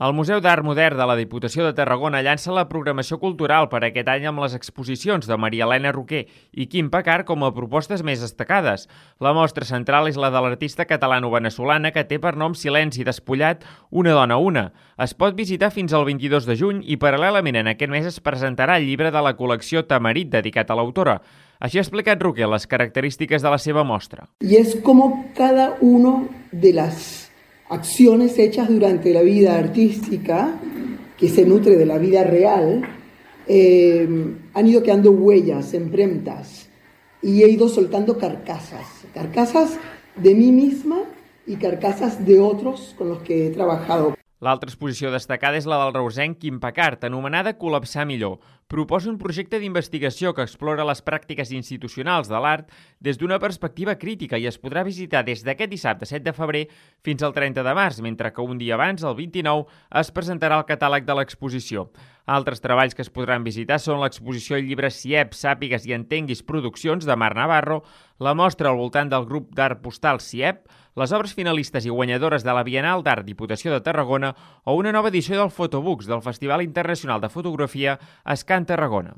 El Museu d'Art Modern de la Diputació de Tarragona llança la programació cultural per aquest any amb les exposicions de Maria Elena Roquer i Quim Pacart com a propostes més destacades. La mostra central és la de l'artista catalano-veneçolana que té per nom Silenci despullat, una dona una. Es pot visitar fins al 22 de juny i paral·lelament en aquest mes es presentarà el llibre de la col·lecció Tamarit dedicat a l'autora. Així ha explicat Roquer les característiques de la seva mostra. Y es como cada uno de las acciones hechas durante la vida artística, que se nutre de la vida real, han ido quedando huellas, empremtas, y he ido soltando carcasas de mí misma y carcasas de otros con los que he trabajado. L'altra exposició destacada és la del reusenc Quim Pacart, anomenada Col·lapsar millor. Proposa un projecte d'investigació que explora les pràctiques institucionals de l'art des d'una perspectiva crítica i es podrà visitar des d'aquest dissabte 7 de febrer fins al 30 de març, mentre que un dia abans, el 29, es presentarà el catàleg de l'exposició. Altres treballs que es podran visitar són l'exposició al llibre CIEP, Sàpigues i Entenguis Produccions de Mar Navarro, la mostra al voltant del grup d'art postal CIEP, les obres finalistes i guanyadores de la Bienal d'Art Diputació de Tarragona o una nova edició del Photobooks del Festival Internacional de Fotografia Escan Tarragona.